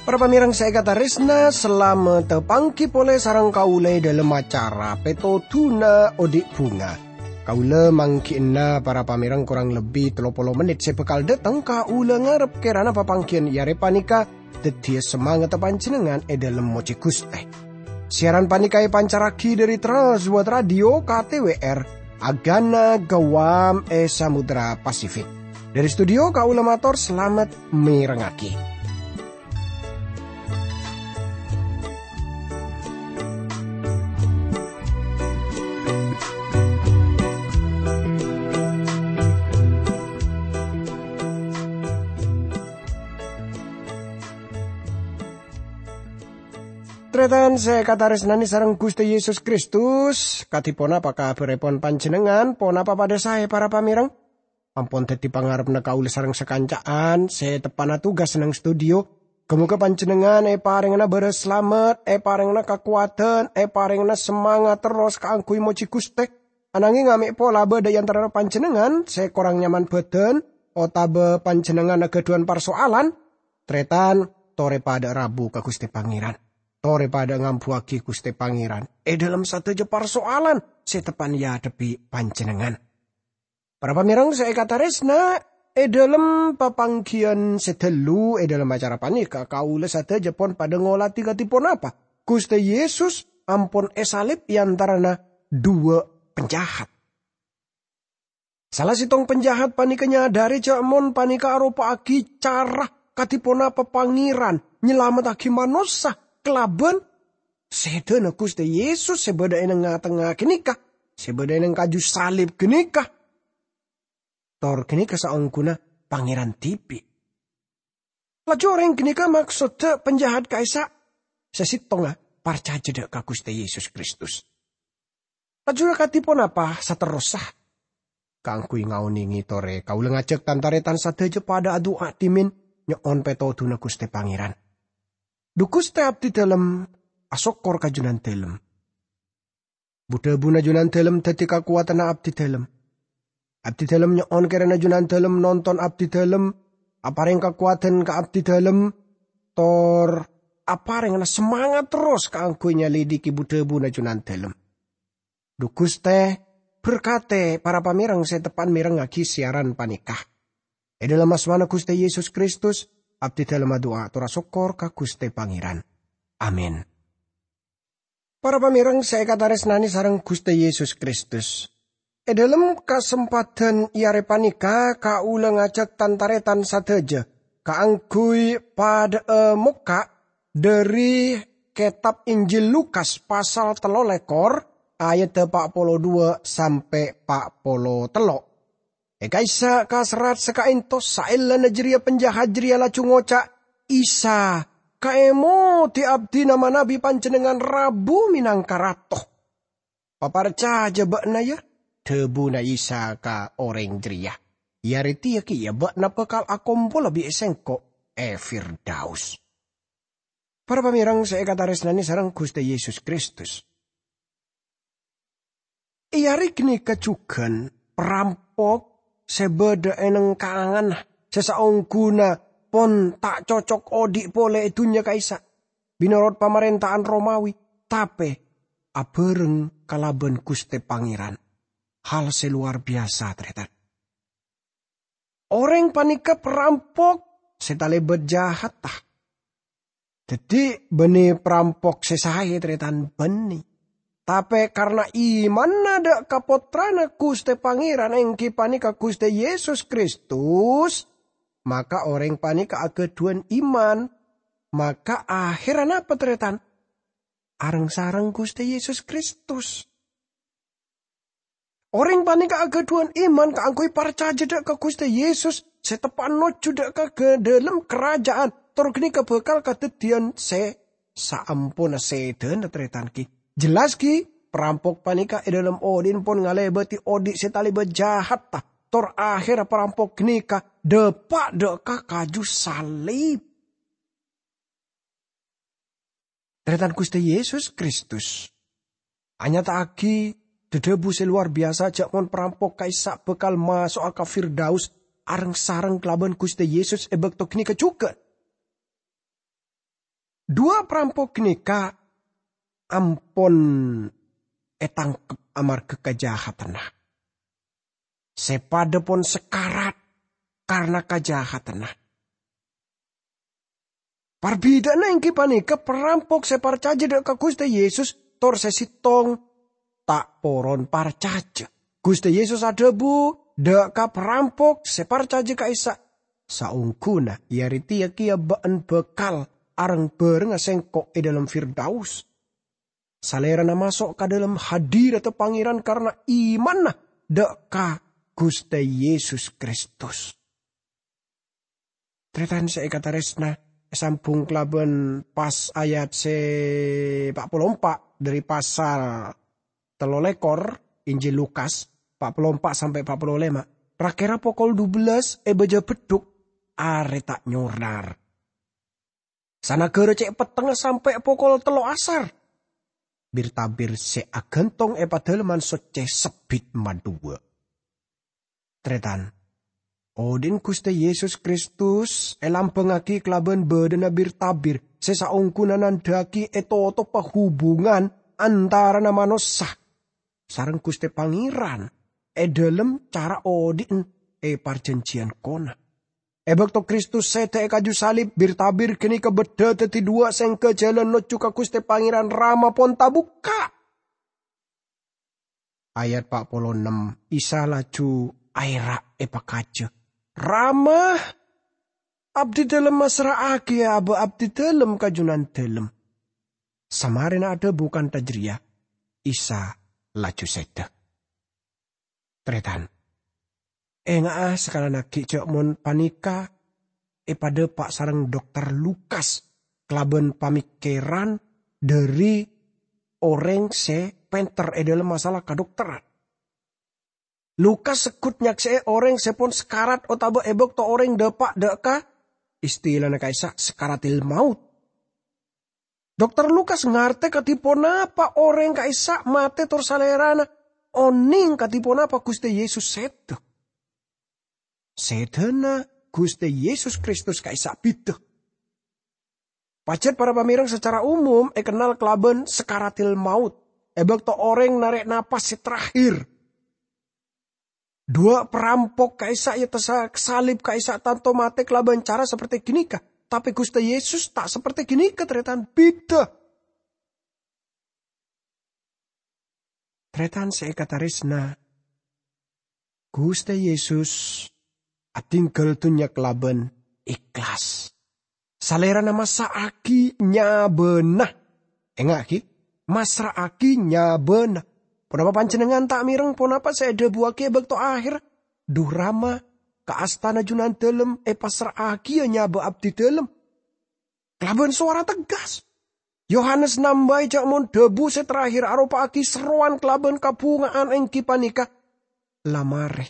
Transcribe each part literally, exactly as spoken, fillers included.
Para pamèrèng sè èkatarèsna, salamet panggi polè sareng kaulâ è dhâlem acara Pètodhuna Odi' Bhunga. Kaulâ mangghi'na para pamèrèng korang lebbi tello polo mennit sè bhâkal dâteng. Kaulâ ngarep kèrana papangghiyân è arè panèka dhâddhiyâ samangatta panjhennengngan è dhâlem mojhi Ghustè. Siaran panèka èpancarraghi dhâri Trans World Radio K T W R, Agana Guam è Samudra Pasifik. Dhâri studio kaulâ mator salamet mèrengngaghi. Tarètan sè èkatarèsnanè sareng Ghustè Yesus Kristus, kadhi ponapa kabhârèpon panjhennengngan? Ponapa padhâ saè, para pamèrèng? Ampon dhâddhi pangarebbhâ kaulâ sareng sakanca'an sè teppa'na tugas neng studio. Ghâ-mogâ panjhennengngan èparèngana bârâs salamet, èparèngana kakowadhân, èparèngana samangat terros kaangghuy mojhi Ghustè. Ananghing amè' pola bâdâ è antarana panjhennengngan sè korang nyaman bhâdhân otabâ panjhennengngan aghâdhuwân parsoalan, tarètan, torè padâ rabu ka Ghustè Pangèran. Torè padâ ngambuwâghi Ghustè Pangèran è dhâlem sadhâjâ parsoalan sè teppa'na èadhebbhi panjhennengngan. Para pamèrèng sè èkatarèsna, è dhâlem papangghiyân sè ghâllu, è dhâlem acara panèka, kaulâ sadhâjâ pon padâ ngolatè kadhi ponapa Ghustè Yesus ampon èsalib è antarana dhuwâ' panjahat. Sala sèttong panjahat panèka nyadhârè jhâ' mon panèka aropa'aghi cara kadhi ponapa Pangèran nyalamettaghi manossa kalabân sèdhâna Ghustè Yesus sè bâdâ è neng-ngatengnga ghânèka, sè bâdâ è neng kaju salib ghânèka. Tor ghânèka saongghuna Pangèran dhibi'. Laju orèng ghânèka maksodda panjahat ka'issa' sè sèttongnga parcajâ dâ' ka Ghustè Yesus Kristus. Laju akadhi ponapa saterrossa? Kaangghuy ngaonèngè torè, kaulâ ngajhâk tan-tarètan sadhâjâ padâ adu'a dhimèn nyo'on pètodhuna Ghustè Pangèran. Dhu Ghustè abdhi dhâlem asokkor ka Jhunandhâlem. Bu-dhâbuna Jhunandhâlem dhâddhi kakowadhânna abdhi dhâlem. Abdhi dhâlem nyo'on kèrana Jhunandhâlem nonton abdhi dhâlem, aparèng kakowadhân ka abdhi dhâlem, tor aparèngana samangat terros kaangghuy nyalidhighi bu-dhâbuna Jhunandhâlem. Dhu Ghustè, berkatè para pamèrèng sè teppa'na mèrengngaghi siaran panèka. È dhâlem asmana Ghustè Yesus Kristus, abdhi dhâlem adu'a tor asokkor ka Ghustè Pangèran. Amin. Para pamèrèng sè èkatarèsnanè sareng Ghustè Yesus Kristus. È dhâlem kasempadhân è arè panèka, kaulâ ngajhâk tan-tarètan sadhâjâ kaangghuy padâ'â mokka' dhâri Kètab Injil Lukas pasal tello lèkor, ayadda pa' polo duwâ' sampè' pa' polo tello'. È ka'issa' kaserrat sakaènto, saellana jârèya panjahat jârèya laju ngoca', "Isa, kaèmodhi abdhina manabi Panjhennengngan rabu mènangka Rato." "Paparcajâ bâ'na, yâ," dhâbuna Isa ka orèng jârèya. "È arè tèya kèya bâ'na bhâkal akompola bi' Sèngko' è Firdaus." Para pamèrèng sè èkatarèsnanè sareng Ghustè Yesus Kristus. È arè ghânèka jhughân parampok sè bâdâ è neng kanganna sè saongghuna pon ta' cocok odhi' polè è dhunnya ka'issa', mènorot pamarènta'an Romawi, tapè abhâreng kalabân Ghustè Pangèran. Hal sè lowar biyasa, tarètan. Orèng panèka parampok sè talèbât jahatta. Dhâddhi, bânnè parampok sè saè, tarètan, bânnè. Tapè karna imanna dâ' ka Pottrana Ghustè Pangèran, èngghi panèka Ghustè Yesus Kristus, maka orèng panèka aghâdhuwân iman. Maka ahèrra napa, tarètan? Areng-sareng Ghustè Yesus Kristus. Orèng panèka aghâdhuwân iman kaangghuy parcajâ dâ' ka Ghustè Yesus sè teppa'na nojjhu dâ' ka ghâ-, dhâlem karaja'an, tor ghânèka bhâkal kadhâddhiyân sè saamponna sèdhâna tarètan ghi. Jelas ghi, parampok panèka è dhâlem odhi'na pon ngalèbâdhi odhi' sè talèbât jahatta, tor ahèrra parampok ghânèka dâpa' dâ' ka kaju salib. Tarètan Ghustè Yesus Kristus anyata'aghi dhâ-dhâbu sè lowar biyasa jhâ' mon parampok ka'issa' bhâkal maso'a ka Firdaus areng-sareng kalabân Ghustè Yesus è bâkto ghânèka jhughân. Duwâ' parampok ghânèka ampon ètangkep amarghâ kajahatanna. Sè padâ pon sakarat karana kajahatanna. Parbidhâ'ânna èngghi panèka parampok sè parcajâ dhâ' ka Ghustè Yesus tor sè sèttong ta' poron parcajâ. Ghustè Yesus adhâbu dhâ' ka parampok sè parcajâ ka'issa', "Saongghuna è arè tèya kèya bâ'na bhâkal areng-bhârengnga Sèngko' è dhâlem Firdaus." Salèrana maso' ka dhâlem hadiratta Pangèran karana imanna dhâ' ka Ghustè Yesus Kristus. Tarètan sè èkatarèsna, èsambhung kalabân pas ayat sè pa' polo empa' dhâri pasal tello lèkor Injil Lukas, pa' polo empa' sampè' pa' polo lèma'. Ra-kèra pokol dubellâs è bâjâ beddhuk, arè ta' nyorar. Sanaghârâ cè' pettengnga sampè' pokol tello asar. Bir-tabir sè aghântong è Padâlemman Soccè sebbit madhuwâ'. Tarètan, odi'na Ghustè Yesus Kristus èlambhângaghi kalabân bâdâna bir-tabir sè saongghuna nandhâ'aghi ètotopa hubungan antarana manossa sareng Ghustè Pangèran è dhâlem cara odi'na è parjhânjhiyân kono. È bâkto Kristus sèdhâ è kaju salib, bir-tabir ghânèka beddhâ dhâddhi dhuwâ' sèngghâ jhâlân nojjhu ka Ghustè Pangèran Rama pon tabukka'. Ayat pa' polo ennem, Isa laju aèra' èpakajâ, "Rama, abdidâlem massra'aghi abâ' abdidâlem ka Junandâlem." Samarèna adhâbu kantha jârèya, Isa laju sèdhâ. Tarètan, ènga'a sakalana ghi' jhâ' mon panèka èpadâpa' sareng Dokter Lukas kalabân pamèkkèran dhâri orèng sè pènter è dhâlem masalah kadhokteran. Lukas segghut nyaksè'è orèng sè pon sakarat otabâ è bâkto orèng dâpa' dhâ' ka, istilana ka'issa' sakaratil maut. Dokter Lukas ngartè kadhi ponapa orèng ka'issa' matè tor salèrana onèng kadhi ponapa Ghustè Yesus sèdhâ. Sèdhâna Ghustè Yesus Kristus ka'issa' bhidhâ. Pajhât para pamèreng sacara umum èkennal kalabân sakaratil maut, è bâkto orèng narè' napas sè terakhir. Dhuwâ' parampok ka'issa' ètessa' salib ka'issa' tanto matè kalabân cara saperti ghânèka. Tapè Ghustè Yesus ta' saperti ghânèka, tarètan, bhidhâ. Tarètan sè èkatarèsna, Ghustè Yesus adhingghâl dhunnya kalabân ikhlas. Salèrana massra'aghi nyabâna. Ènga'aghi, massra'aghi nyabâna. Ponapa panjhennengngan ta' mèreng ponapa sè èdhâbuwaghi è bâkto aherra? "Dhu Rama, ka astana Junandâlem èpassra'aghiyâ nyabâ abdidâlem." Kalabân sowara tegas, Yohanes nambâi jhâ' mon dhâbu sè terakhir aropa'aghi serrowan kalabân kabhunga'an èngghi panèka, "La marè."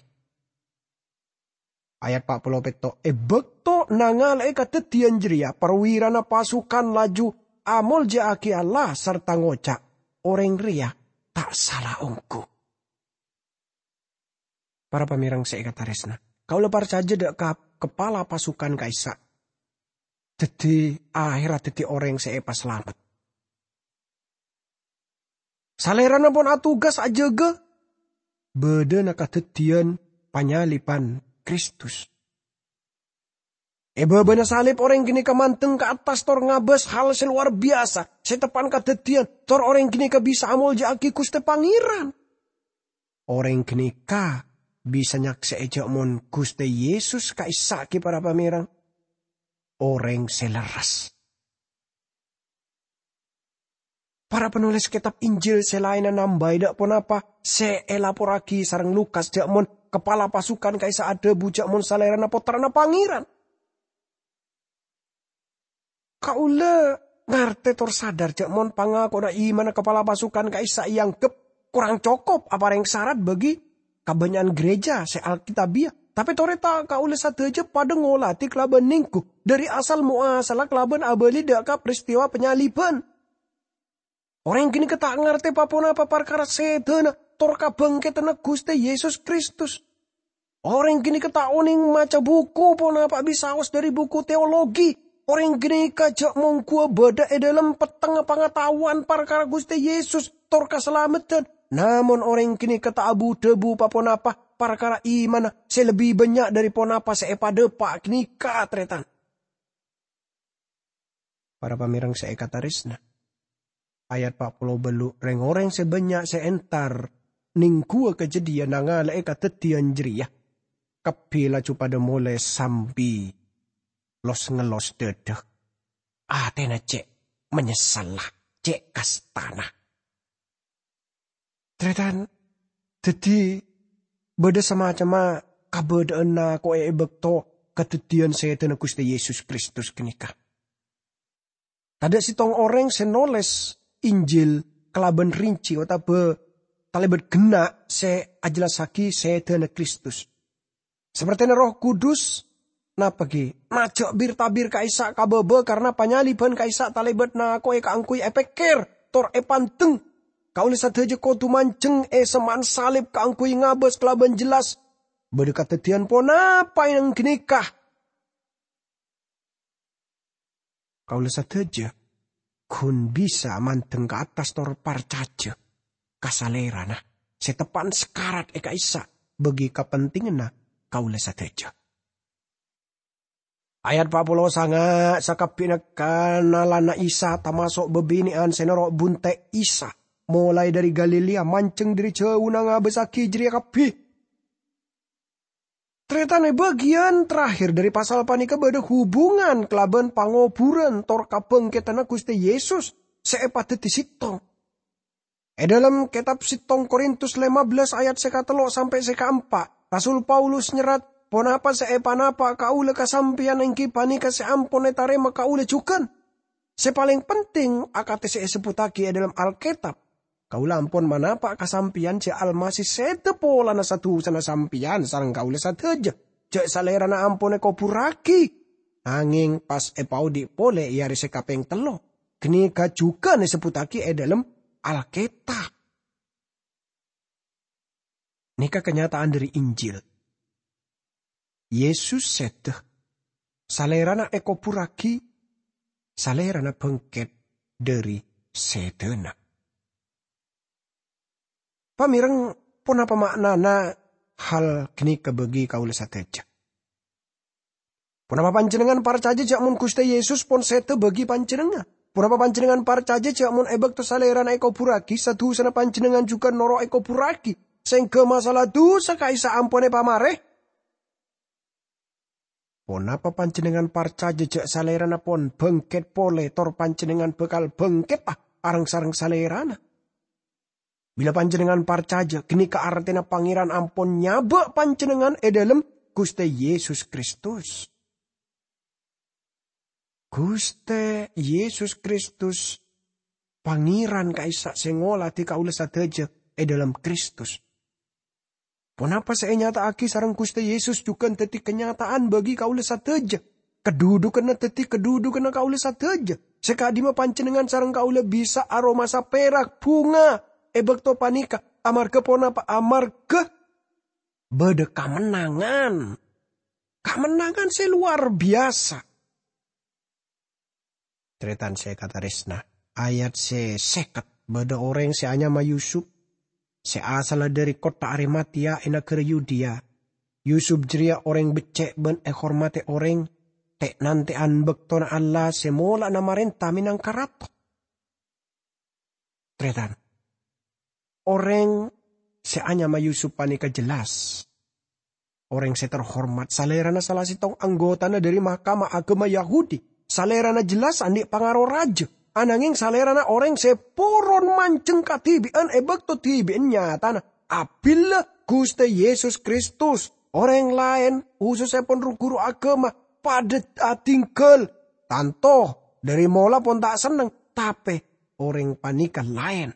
Ayat pa' polo pètto', "È bâkto nangala'è kadhâddhiyân jârèya, parwirana pasukan laju amolja'aghi Allah sarta ngoca', 'Orèng rèya ta' sala ongghu.'" Para pamèreng sè èkatarèsna, kaulâ parcajâ dhâ' ka kapala pasukan ka'issa' dhâddhi aherra dhâddhi orèng sè èpasalamet. Salèrana pon atugas ajâgâ bâdâna kadhâddhiyân panyaliban Kristus. È bâbâna salib, orèng ghânèka mandeng ka attas tor ngabâs hal sè lowar biyasa sè teppa'na kadhâddhiyân, tor orèng ghânèka bisa amolja'aghi Ghustè Pangèran. Orèng ghânèka bisa nyaksè'è jhâ' mon Ghustè Yesus ka'issa' ghi' para pamèreng orèng sè lerres. Para panolès kètab Injil sè laènna nambâi dhâ' ponapa sè èlaporraghi sareng Lukas jhâ' mon kapala pasukan ka'issa' adhâbu jhâ' mon Salèrana Pottrana Pangèran. Kaulâ ngartè tor sadar jhâ' mon pangakowanna imanna kapala pasukan ka'issa' èangghep korang cokop aparèng sarat bagi kabânnya'an gereja sè Alkitabbiyâ. Tapè torè ta' kaulâ sadhâjâ padâ ngolatè kalabân nèngghu dhâri asal moasalla kalabân abâli dhâ' ka peristiwa panyaliban. Orèng ghânèka ta' ngartè pa-ponapa parkara sèdhâna tor kabhângkèdhânna Ghustè Yesus Kristus. Orèng ghânèka ta' onèng maca buku ponapa bisaos dhâri buku teologi. Orèng ghânèka jhâ' mongghuwâ bâdâ è dhâlem pettengnga pangataowan parkara Ghustè Yesus tor kasalameddhân. Namong orèng ghânèka ta' abu-dhâbu pa-ponapa parkara imanna sè lebbi bânnya' dhâri ponapa sè èpadâpa' ghânèka, tarètan. Para pamèreng sè èkatarèsna, ayat pa' polo bâllu', rèng-orèng sè bânnya' sè entar nèngghuwâ kajhâdhiyân nangala'è kadhâddhiyân jârèya, kabbhi laju padâ molè sambi los-ngellos dhâdhâ. Atèna cè' manyessella, cè' kastana. Tarètan, dhâddhi bâdâ samacemma kabâdâ'ân nako'è è bâkto kadhâddhiyân sèdhâna Ghustè Yesus Kristus ghânèka. Tadâ' sèttong orèng sè nolès Injil kalabân rinci otabâ talèbât ghenna' sè ajellassaghi sèdhâna Kristus. Sapertèna Erroh Kudus, napa ghi? Najjhâ' bir-tabir ka'issa' ka bâbâ karana panyalibhân ka'issa' talèbât nako'è kaangghuy èpèkkèr tor èpandeng. Kaulâ sadhâjâ kodhu manjheng è semma'an salib kaangghuy ngabâs kalabân jellas bâdâ kadhâddhiyân ponapa è neng ghânèka. Kaulâ sadhâjâ ghun bisa mandeng ka attas tor parcajâ ka Salèrana sè teppa'na sakarat è ka'issa' bagi kapentinganna kaulâ sadhâjâ. Ayat pa' polo sanga', sakabbhina kanalana Isa, tamaso' bâbinè'an sè noro' bunte' Isa, molaè dhâri Galilea, manjheng dhâri jhâuna ngabâssaghi jârèya kabbhi. Tarètan, è bâgiyân terakhir dhâri pasal panèka bâdâ hubungan kalabân pangobhurân tor kabhângkèdhânna Ghustè Yesus sè èpadhâddhi sèttong. È dhâlem kètab sèttong Korintus lèma bellâs ayat sè katello' sampè' sè kaempa', Rasul Paulus nyerrat, "Ponapa sè èpanapa' kaulâ ka sampèyan èngghi panèka sè ampon ètarèma kaulâ jhughân. Sè palèng penting, akadhi sè èsebbhuttaghi è dhâlem Alkètab, kaulâ ampon manapa' ka sampèyan jâ' Almasih sèdhâ polana sa-dusana sampèyan sareng kaulâ sadhâjâ, jâ' Salèrana ampon èkoburraghi, nangèng pas èpaodi' polè è arè sè kapèng tello'." Ghânèka jhughân èsebbhuttaghi è dhâlem Alkètab. Nèka kanyata'an dhâri Injil. Yesus sèdhâ. Salèrana èkoburraghi. Salèrana bângkèt dhâri sèdhâna. Pamèreng, ponapa ma'nana hal ghânèka bagi kaulâ sadhâjâ? Ponapa panjhennengngan parcajâ jâ' mon Ghustè Yesus pon sèdhâ bagi panjhennengngan? Ponapa panjhennengngan parcajâ jâ' mon è bâkto Salèrana èkoburraghi, sa-dusana panjhennengngan jhughân noro' èkoburraghi, sèngghâ masala dusa ka'issa' ampon èpamarè? Ponapa panjhennengngan parcajâ jâ' Salèrana pon bângkèt polè, tor panjhennengngan bhâkal bângkètta areng-sareng Salèrana? Bilâ panjhennengngan parcajâ, ghânèka artèna Pangèran ampon nyabâ' panjhennengngan è dhâlem Ghustè Yesus Kristus. Ghustè Yesus Kristus, Pangèran ka'issa' sè ngoladhi kaulâ sadhâjâ è dhâlem Kristus. Ponapa sè ènyata'aghi sareng Ghustè Yesus jhughân dhâddhi kanyata'an bagi kaulâ sadhâjâ. Kadhudhughânna dhâddhi kadhudhughânna kaulâ sadhâjâ. Sè ka'dimma panjhennengngan sareng kaulâ bisa aromasa pèrak bhunga è bâkto panèka. Amarghâ ponapa? Amarghâ bâdâ kamennangan. Kamennangan sè lowar biyasa. Tarètan sè èkatarèsna, ayat sè sèket, bâdâ orèng sè anyama Yusup, sè asalla dhâri kottha Arimatea è naghârâ Yudea. Yusup jârèya orèng beccè' bân èhormadhi orèng, tè'-nantè'an bâktona Allah sè mola'na marènta mènangka rato. Tarètan, orèng sè anyama Yusup panèka jelas orèng sè terhormat, salèrana sala sèttong anggotana dhâri Mahkamah Agama Yahudi. Salèrana jelas andi' pangaro rajâ, ananghèng salèrana orèng sè poron manjheng kadhibi'ân è bâkto dhibi'ân nyatana. Abillâ Ghustè Yesus Kristus, orèng laèn, khusussèpon ru-ghuru agama, padâ adhingghâl. Tanto, dhâri mola pon ta' senneng, tapè orèng panèka laèn.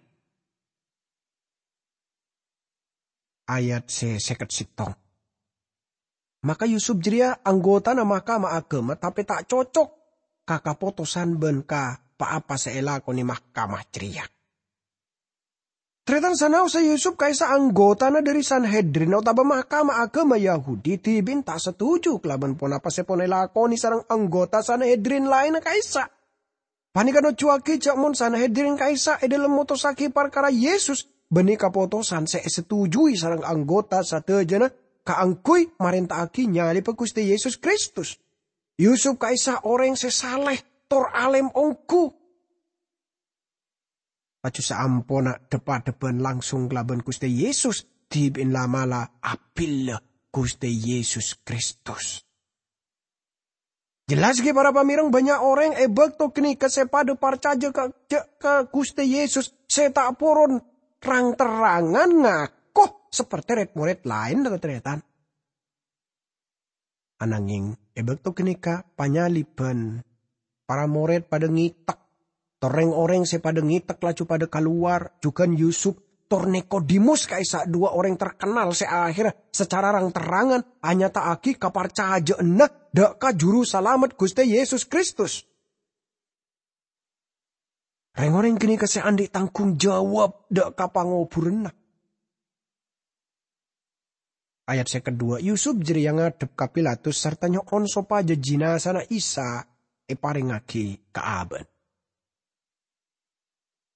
Ayat sè sèket sèttong. Maka Yusup jârèya anggotana Mahkamah Agama, tapè ta' cocok ka kapotosan bân ka pa-apa sè èlakonè mahkamah jârèya. Tarètan, sanaossa Yusuf ka'issa' anggotana dhâri Sanhedrin otabâ mahkamah aghâma Yahudi dhibi'en ta' setuju kalabân ponapa sè pon èlakonè sareng anggota Sanhedrin laènna ka'issa'. Panèka nojjuwaghi jhâ' mon Sanhedrin ka'issa' è dhâlem motossaghi parkara Yesus, bânnè kapotosan sè èsetujuwi sareng anggota sadhâjâna kaangghuy marènta'aghi nyalèbhâ Ghustè Yesus Kristus. Yusuf ka'issa' orèng sè salè tor alèm ongghu. Laju saamponna dhâpa-dhâbân langsung kalabân Ghustè Yesus, dhibi'en la'-mala' abhilâ Ghustè Yesus Kristus. Jelas ghi, para pamèreng, bânnya' orèng è bâkto ghânèka sè padhâ parcajâ ka, jhâ', ka Ghustè Yesus sè ta' poron rang-terrangan ngako saperte rèd-morèd laènna, tarètan. Anangèng, è bâkto ghânèka panyalibhân, para morèd padhâ ngètek, tor rèng-orèng sè padhâ ngètek laju padhâ kalowar, jhughân Yusuf tor Nikodemus ka'issa' duwâ' orèng terkenal sè akhèrra sacara rang-terrangan anyata'aghi kaparcajâ'ânna dhâ' ka Jurusalamet Ghustè Yesus Kristus. Rèng-orèng ghânèka sè andi' tanggung jawab dhâ' ka pangobhurânna. Ayat sèket duwâ', Yusuf jârèya ngadhep ka Pilatus sarta nyo'on sopajâ jinazana Isa èparèngaghi ka abâ'na.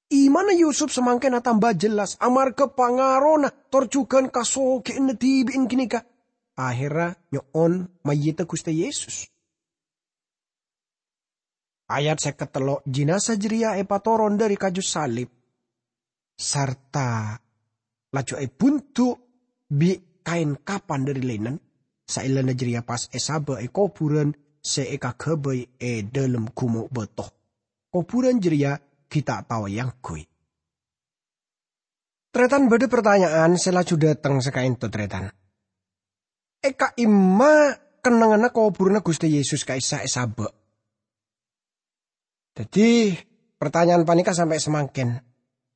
Imanna Yusuf samangkèn atamba jelas amarghâ pangarona tor jhughân kasoghè'anna dhibi'en ghânèka. Akhèrra nyo'on mayyidda Ghustè Yesus. Ayat sèket tello', jinaza jârèya èpatoron dhâri kaju salib, sarta laju èbundu' bi' kaèn kapan dhâri linen, saellana jârèya pas èsabâ' è kobhurân sè èkaghâbây è dhâlem ghumo' bâto. Kobhurân jârèya ghi' ta' tao èangghuy. Tarètan, bâdâ partanya'an sè laju dâteng sè ka'ènto, tarètan. È ka'imma kennengnganna kobhurânna Ghustè Yesus ka'issa' èsabâ'? Dhâddhi, partanya'an panèka sampè' samangkèn.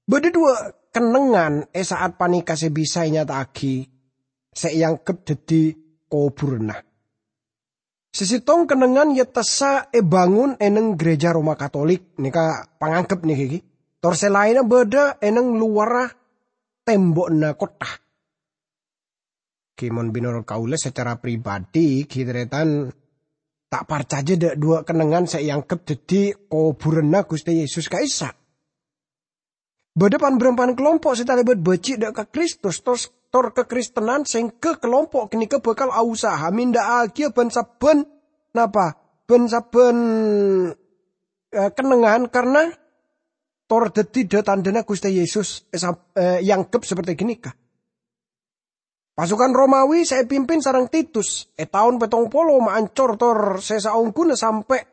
Bâdâ duwâ' kennengngan è sa'at panèka sè bisa ènyata'aghi sè èangghep dhâddhi kobhurânna. Sè sèttong kennengngan èyatessa èbângon è neng Gereja Roma Katolik, nèka pangangghep nèka ghi. Tor sè laènna bâdâ è neng lowarra tèmbo'na kottha. Ghi, mon bi' norot kaulâ sacara pribadi, ghi, tarètan, ta' parcajâ dhâ' duwâ' kennengngan sè èangghep dhâddhi kobhurânna Ghustè Yesus ka'issa'. Bâdâ pan-bârâmpan kalompo' sè talèbât bâji' dhâ' ka Kristus, tor, tor kakristenan sèngghâ kalompo' ghânèka bhâkal ausaha mèndhâ'âghiyâ bân sabbhân, napa? Bân sabbhân, eh, kennengngan karna tor dhâddhi dhâ-tandhâna Ghustè Yesus, eh, sab-, eh, èangghep saperte ghânèka. Pasukan Romawi sè èpimpin sareng Titus è taon pèttong polo maancor tor sè saongghuna sampè'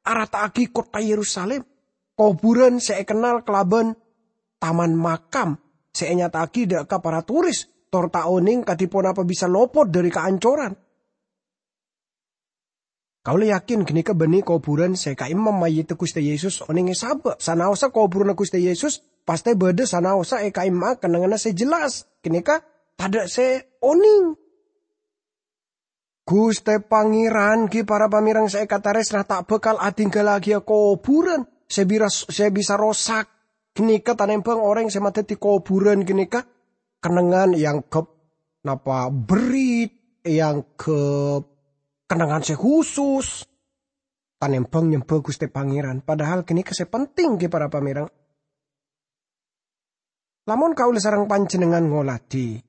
arata'aghi kottha Yerusalim, kobhurân sè èkennal kalabân taman makam sè ènyata'aghi dhâ' ka para toris, tor ta' onèng kadhi ponapa bisa lopot dhâri kaancoran. Kaulâ yakin ghânèka bânnè kobhurân sè ka'imma mayyidda Ghustè Yesus onèng èsabâ'. Sanaossa kobhurânna Ghustè Yesus, pastè bâdâ sanaossa è ka'imma kennengnganna sè jelas. Ghânèka tadâ' sè onèng. Ghustè Pangèran, ghi, para pamèreng sè èkatarèsna, ta' bhâkal adhingghâllâghiyâ kobhurân sè bira-, sè bisa rosak. Ghânèka tanèmbhâng orèng sè madhâddhi kobhurân ghânèka kennengngan èangghep napa berrit, èangghep kennengngan sè husus, tanèmbhâng nyembhâ Ghustè Pangèran. Padahal ghânèka sè penting, ghi, para pamèreng. Lamon kaulâ sareng panjhennengngan ngoladhi,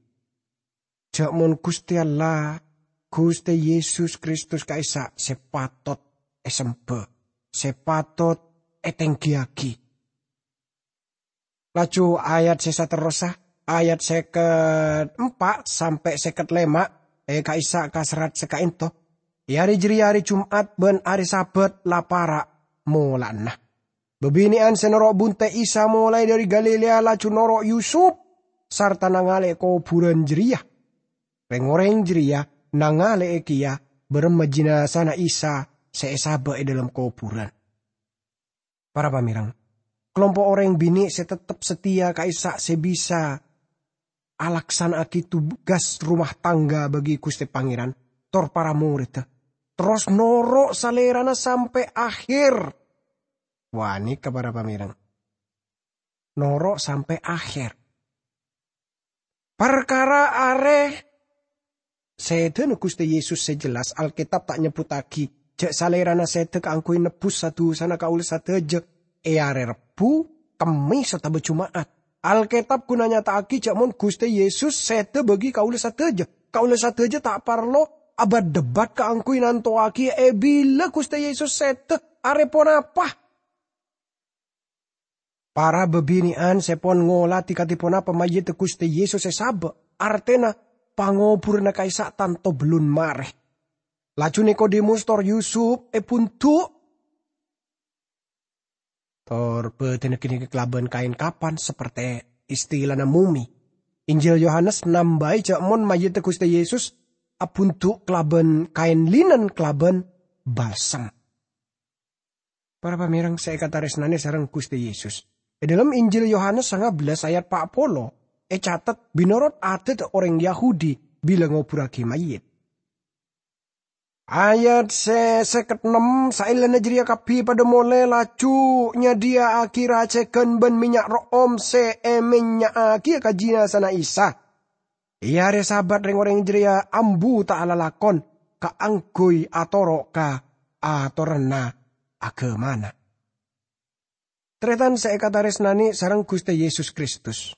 jhâ' mon Ghustè Allah, Ghustè Yesus Kristus ka'issa' sè patot èsembhâ, sè patot ètèngghiyâghi. Laju ayat sè saterrossa, ayat sèket empa' sampè' sèket lèma', è ka'issa' kaserrat sè ka'ènto. È arè jârèya arè Jum'at bân arè Sabat la para' mola'na. Bâbinè'an sè noro' bunte' Isa molaè dhâri Galilea laju noro' Yusup sarta nangalè'è kobhurân jârèya. Rèng-orèng jârèya nangalè'è kèya bârâmma jinazana Isa sè èsabâ' è dhâlem kobhurân. Para pamèreng, kalompo' orèng binè' sè tettep satèya ka'issa' sè bisa alaksana'aghi tugas rumah tangga bagi Ghustè Pangèran, tor para morèdda, terros noro' Salèrana sampè' akhèr. Wah, nèka para pamèreng. Noro' sampè' akhèr. Parkara arè sèdhâna Ghustè Yesus sè jelas, Alkètab ta' nyebbhuttaghi jhâ' Salèrana sèdhâ kaangghuy nebbhus sa-dusana kaulâ sadhâjâ è arè Rebbhu, Kemmès, otabâ Juma'at. Alkètab ghun anyata'aghi jhâ' mon Ghustè Yesus sèdhâ bagi kaulâ sadhâjâ. Kaulâ sadhâjâ ta' parlo abât-debât kaangghuy nantowaghi è bilâ Ghustè Yesus sèdhâ, arè ponapa. Para bâbinè'an sè pon ngolatè kadhi ponapa mayyidda Ghustè Yesus èsabâ', artèna pangobhurânna ka'issa' tanto bellun marè. Laju Nikodemus tor Yusup èbhundhu', tor bâdâna ghânèka kalabân kaèn kapan, sapertè istilana mumi. Injil Yohanes nambâi jhâ' mon mayyidda Ghustè Yesus abhundhu' kalabân kaèn linen kalabân balsem. Para pamèreng sè èkatarèsnanè sareng Ghustè Yesus, è dhâlem Injil Yohanes sanga bellâs ayat pa' polo ècatet binotot adât orèng Yahudi bilâ ngobhurraghi mayyit. Ayat sè sèket ennem, saellana jârèya kabbhi padâ molè laju nyadhiyâ'aghi racèghân bân mènnya' ro'om sè èmènnya'aghiyâ ka jinazana Isa. È arè Sabat rèng-orèng jârèya ambu ta' alalakon kaangghuy atoro' ka atoranna aghâmana. Tarètan sè èkatarèsnanè sareng Ghustè Yesus Kristus.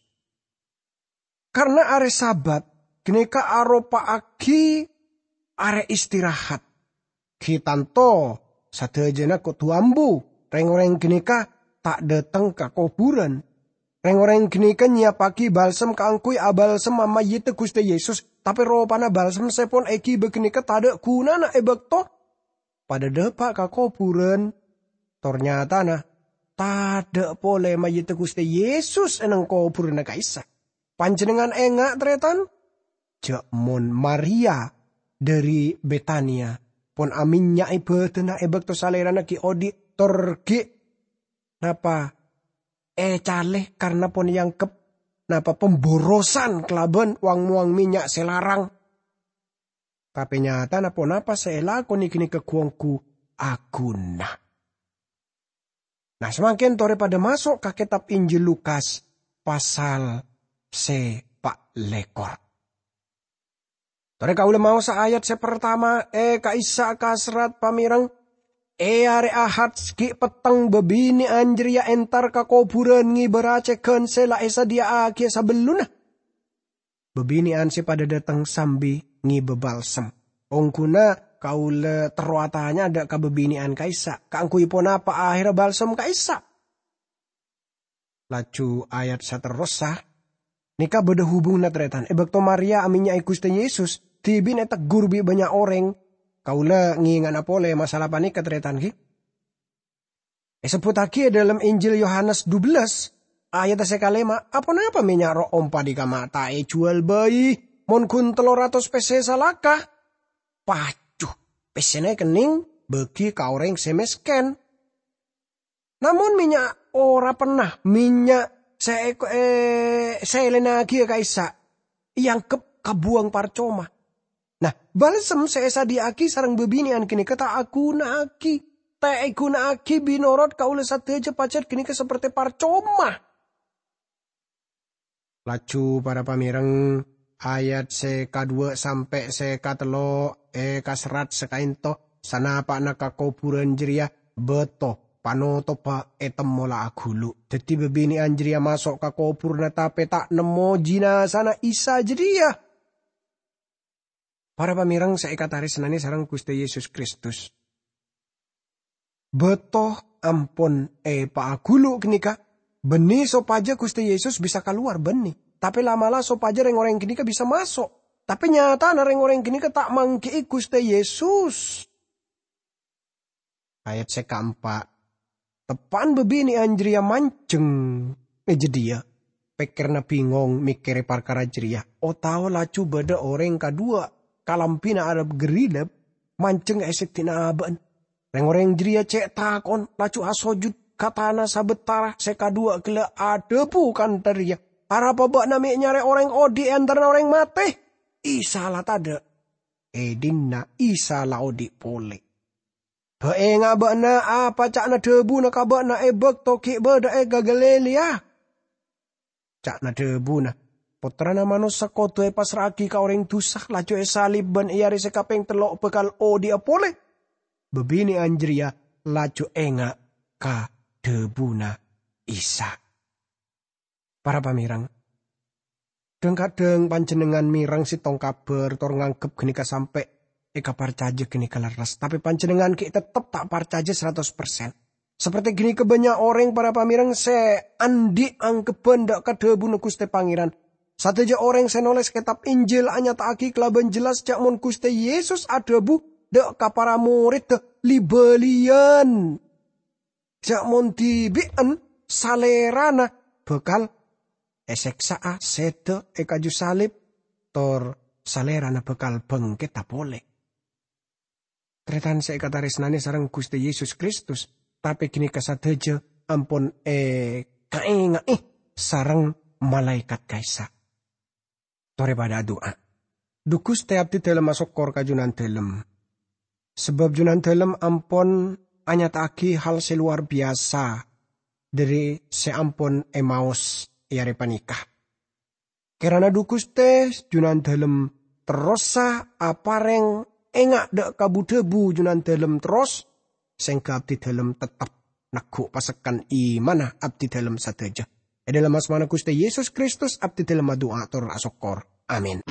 Karna arè Sabat ghânèka aropa'aghi arè istirahat. Ghi' tanto sadhâjâna kodhu ambu, rèng-orèng ghânèka ta' dâteng ka kobhurân. Rèng-orèng ghânèka nyèyappaghi balsem kaangghuy abalsem mayyidda Ghustè Yesus, tapè ropana balsem sè pon èghibâ ghânèka tadâ' ghunana è bâkto padâ dâpa' ka kobhurân. Tor nyatana, tadâ' polè mayyidda Ghustè Yesus è neng kobhurânna ka'issa'. Panjhennengngan enga', tarètan? Jhâ' mon Maria dhâri Betania pon amènnya'è bâdâna è bâkto Salèrana ghi' odhi' tor ghi' napa ècalè karna pon èangghep napa pemborosan kalabân wang-mowang mènnya' sè larang. Tapè nyatana ponapa sè èlakonè ghânèka ghu-ongghu aghuna. Nah, samangkèn torè padâ maso' ka kètab Injil Lukas pasal sè pa' lèkor. Torè kaulâ maosa ayat sè partama è ka'issa' kaserrat pamèreng, è arè Ahad ghi' petteng bâbinè'an jârèya entar ka kobhurân ngèbâ racèghân sè la èsadhiyâ'aghiyâ sabellunna. Bâbinè'an sè padâ dâteng sambi ngèbâ balsem. Ongghuna kaulâ terro atanya dâ' ka bâbinè'an ka'issa', kaangghuy ponapa ahèrra balsem ka'issa'? Laju ayat saterrossa, nèka bâdâ hubunganna, tarètan. È bâkto Maria amènnya'è Ghustè Yesus, dhibi'na èteggur bi' bânnya' orèng. Kaulâ ngènga'na polè masalah panèka, tarètan, ghi. Èsebbhuttaghi è dhâlem Injil Yohanes dubellâs, ayat sè kalèma', "Aponapa mènnya' ro'om panèka ma' ta' èjhuwâl bhâi mon ghun tello ratos pèssè salaka? Paju, pèssèna èkennèng bâgi ka orèng sè mèskèn." Namong mènnya' ora penna, mènnya' sè èko-, è-, sè èlènnaghiyâ ka'issa', èangghep kabuwâng parcoma. Nah, balsem sè èsadhiyâ'aghi sareng bâbinè'an ghânèka ta' aghuna'aghi, ta' èghuna'aghi binorot kaulâ sadhâjâ pajhât ghânèka sapertè parcoma. Laju para pamèreng, ayat sè kadhuwâ' sampè' sè katello' èkaserrat sakaènto, sanapa'na ka kobhurân jârèya bâto panotobbhâ ètemmo la aghulu'. Dhâddhi bâbinè'an jârèya maso' ka kobhurânna tapè ta' nemmo jinazana Isa jârèya. Para pamèreng sè èkatarèsnanè sareng Ghustè Yesus Kristus. Bâto ampon èpaaghulu' ghânèka, bânnè sopajâ Ghustè Yesus bisa kalowar, bânnè. Tapè la'-mala' sopajâ rèng-orèng ghânèka bisa maso'. Tapè nyatana rèng-orèng ghânèka ta' mangghi'i Ghustè Yesus. Ayat sè kaempa'. Teppa'na bâbinè'an jârèya manjheng è jâdiyâ. Pèkkèranna bingong mèkkèrè parkara jârèya. Otabâ laju bâdâ orèng kadhuwâ' kalambhina arep gherilep manjheng è sèddhina abâ'na. Rèng-orèng jârèya cè' tako'na, laju asojud ka tana sabâtara sè kadhuwâ' ghellâ' adhâbu kantha rèya, "Arapa bâ'na mè' nyarè orèng odhi' è antarana orèng matè? Isa la tadâ'. È dinna' Isa la odhi' polè." Bâ' enga' bâ'na apa ca'na dhâbuna ka bâ'na è bâkto ghi' bâdâ è Galilea. Ca'na dhâbuna, Pottrana Manossa kodhu èpassra'aghi ka orèng dhusa, laju èsalib, bân è arè sè kapèng tello' bhâkal odhi'a polè." Bâbinè'an jârèya laju enga' ka dhâbuna Isa. Para pamèrèng, dhâng-kadhâng panjhennengngan mèreng sèttong kabhâr tor nganggep ghânèka sampè' èkaparcajâ ghânèka lerres, tapè panjhennengngan ghi' tettep ta' parcajâ saratos persen. Sapertè ghânèka bânnya' orèng, para pamèrèng, sè andi' angghebbhân dâ' ka dhâbuna Ghustè Pangèran. Sadhâjâ orèng sè nolès kètab Injil anyata'aghi kalabân jelas jhâ' mon Ghustè Yesus adhâbu dâ' ka para morèdda li-bâliyân jhâ' mon dhibi'en Salèrana bhâkal èsèksa'a, sèdhâ è kaju salib, tor Salèrana bhâkal bhângkèdhâ polè. Tarètan sè èkatarèsnanè sareng Ghustè Yesus Kristus, tapè ghânèka sadhâjâ ampon èkaènga'è sareng malaèkat ka'issa'. Torè padâ adu'a. Dhu Ghustè, abdhidhâlem asokkor ka Jhunandhâlem, sabâb Jhunandhâlem ampon anyata'aghi hal sè lowar biyasa dhâri sè ampon èmaos è arè panèka. Kèrana dhu Ghustè, Jhunandhâlem terrosa aparèng enga' dâ' ka bu-dhâbu Jhunandhâlem terros, sèngghâ abdhidhâlem tettep neggu' pasekkan imanna abdhidhâlem sadhâjâ. È dhâlem asmana Ghustè Yesus Kristus, abdhidhâlem adu'a tor asokkor. Amin.